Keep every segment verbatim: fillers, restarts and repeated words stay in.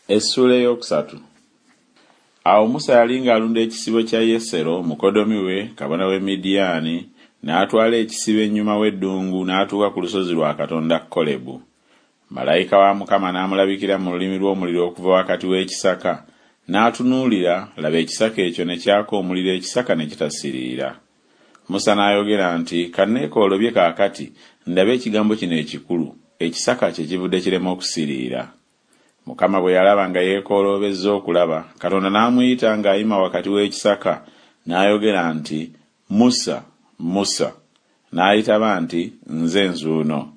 Essuula ey'okusatu. Awo Musa yali ng'alunda ekisibo kya Yesero mukoddomi we, kabona w'e Midiyaani, n'atwala ekisibo ennyuma w'eddungu n'atuuka ku lusozi lwa Katonda Kolebu. Malayika wa Mukama n'amulabikira mu lulimi lw'omuliro okuva wakati w'ekisaka, n'atunuulira, laba ekisaka ekyo ne kyaka omuliro ekisaka ne kitasiriira. Musa n'ayogera nti, Ka nneekoolobye kaakati, ndabe ekigambo kino ekikulu, ekisaka kye kivudde kirema okusiriira. Mukama bwe yalaba nga yeekooloobezza okulaba, Katonda n'amuyita ng'ayima wakati w'ekisaka, n'ayogera nti, Musa, Musa. N'ayitaba nti, Nze nzuuno.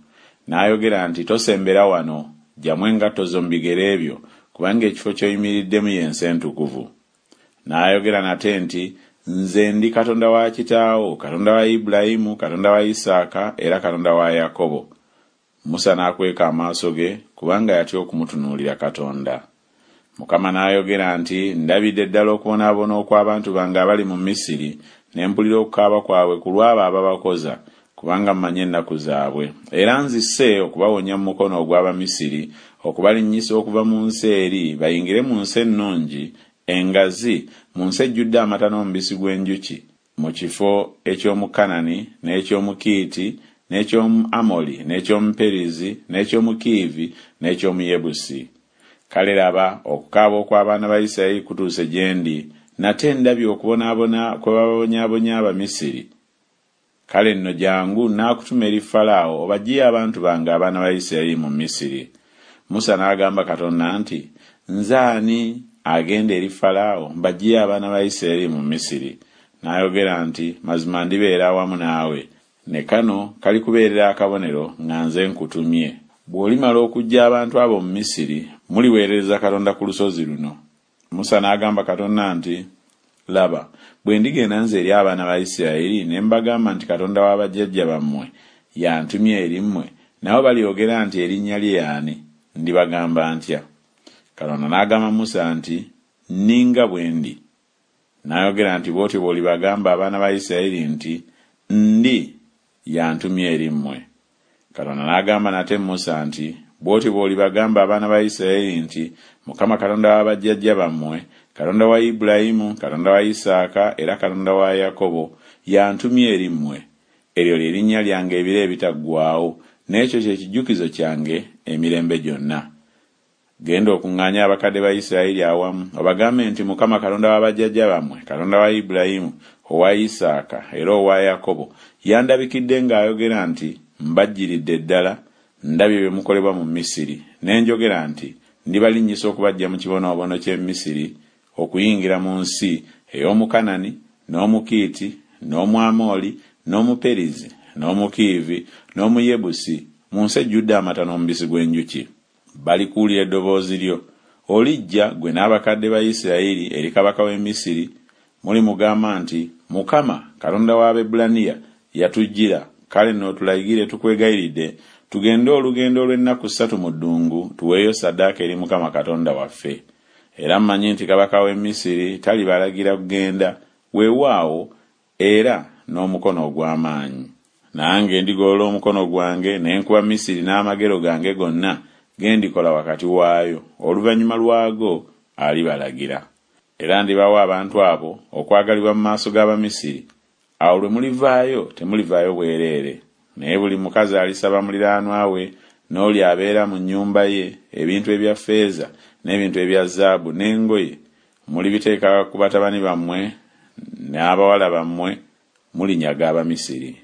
N'ayogera nti, Tosembera wano, ggyamu engatto zo mu bigere byo, kubanga ekifo ky'oyimiriddemu ye nsi entukuvu. N'ayogera nate nti, Nze ndi Katonda wa kitaawo, Katonda wa Ibulayimu, Katonda wa Isaaka, era Katonda wa Yakobo. Musa n'akweka amaaso ge, kubanga yatya okumutunuulira Katonda. Mukama n'ayogera nti, Ndabidde ddala okubonaabona okw'abantu bange abali mu Misiri, ne mpulira okukaaba kwabwe ku lw'abo ababakoza, kubanga mmanyi ennaku zaabwe. Era nzise okubawonya mu mukono ogw'Abamisiri, okubalinnyisa okuva mu nsi eri, bayingire mu nsi ennungi, engazi, mu nsi ejjudde amata n'omubisi gw'enjuki, mu kifo eky'omu Kanani, n'eky'omu Kiiti, n'eky'omu Amoli, n'eky'omu Perizi, n'eky'omu Kiivi, n'eky'omu Yebusi. Kale laba, okukaaba okw'abaana ba Isirayiri kutuuse gye ndi, nate ndabye okubonaabona kwe bababonyaabonya Abamisiri. Kale nno jjangu, nnaakutuma eri Falaawo obaggyeyo abantu bange abaana ba Isirayiri mu Misiri. Musa n'agamba Katonda nti, Nze ani agenda eri Falaawo mbaggyeyo abaana ba Isirayiri mu Misiri? N'ayogera nti, Mazima ndibeera awamu naawe, ne kano kalikubeerera akabonero nga nze nkutumye. Bw'olimala okuggya abantu abo mu Misiri, muliweerereza Katonda ku lusozi luno. Musa n'agamba Katonda nti, Laba, bwe ndigenda nze eri abaana ba Isirayiri ne mbagamba nti Katonda wa bajjajja bammwe y'antumye eri mmwe, nabo balyogera nti erinnya lye y'ani? Ndibagamba ntya? Katonda n'agamba Musa nti, Nninga bwe ndi. N'ayogera nti, Bw'otyo bw'olibagamba abaana ba Isirayiri nti, Ndi y'antumye eri mmwe. Katonda n'agamba nate Musa nti, Bw'otyo bw'olibagamba abaana ba Isirayiri nti, Mukama Katonda wa bajjajja bammwe, Katonda wa Ibulayimu, Katonda wa Isaaka, era Katonda wa Yakobo, y'antumye eri mmwe. Eryo lye linnya lyange ebiro ebitaggwaawo, n'ekyo kye kijjukizo kyange emirembe gyonna. Genda okuŋŋaanye abakadde ba Isirayiri awamu, obagambe nti, Mukama Katonda wa bajjajja bammwe, Katonda wa Ibulayimu, owa Isaaka, era owa Yakobo, yandabikidde ng'ayogera nti, Mbajjiridde ddala, ndabye bye mukolebwa mu Misiri, ne njogera nti, Ndibalinnyisa okubaggya mu kibonoobono ky'e Misiri, okuyingira mu nsi ey'Omukanani, n'Omukiiti, n'Omwamoli, n'Omuperizi, n'Omukiivi, n'Omuyebusi, mu nsi ejjudde amata n'omubisi gw'enjuki. Balikuwulira eddoboozi lyo. Olijja, ggwe n'abakadde ba Isirayiri, eri kabaka w'e Misiri, mulimugamba nti, Mukama, Katonda w'Abaebbulaniya, yatujjira, kale nno otulagire tukwegayiridde, tugende olugendo olw'ennaku ssatu mu ddungu, tuweeyo ssaddaaka eri Mukama Katonda waffe. Era mmanyi nti kabaka w'e Misiri talibalagira kugenda, weewaawo, era n'omukono ogw'amaanyi. Nange ndigolola omukono gwange ne nkuba Misiri n'amagero gange gonna ge ndikola wakati waayo, oluvannyuma lwago alibalagira. Era ndibawa abantu abo okwagalibwa mu maaso g'Abamisiri. Awo lwe mulivaayo temulivaayo bwereere, naye buli mukazi alisaba muliraanwa we n'oli abeera mu nnyumba ye ebintu ebya ffeeza n'ebintu ebya zaabu n'engoye, mulibiteeka ku batabani bammwe n'abawala bammwe, mulinyaga Abamisiri.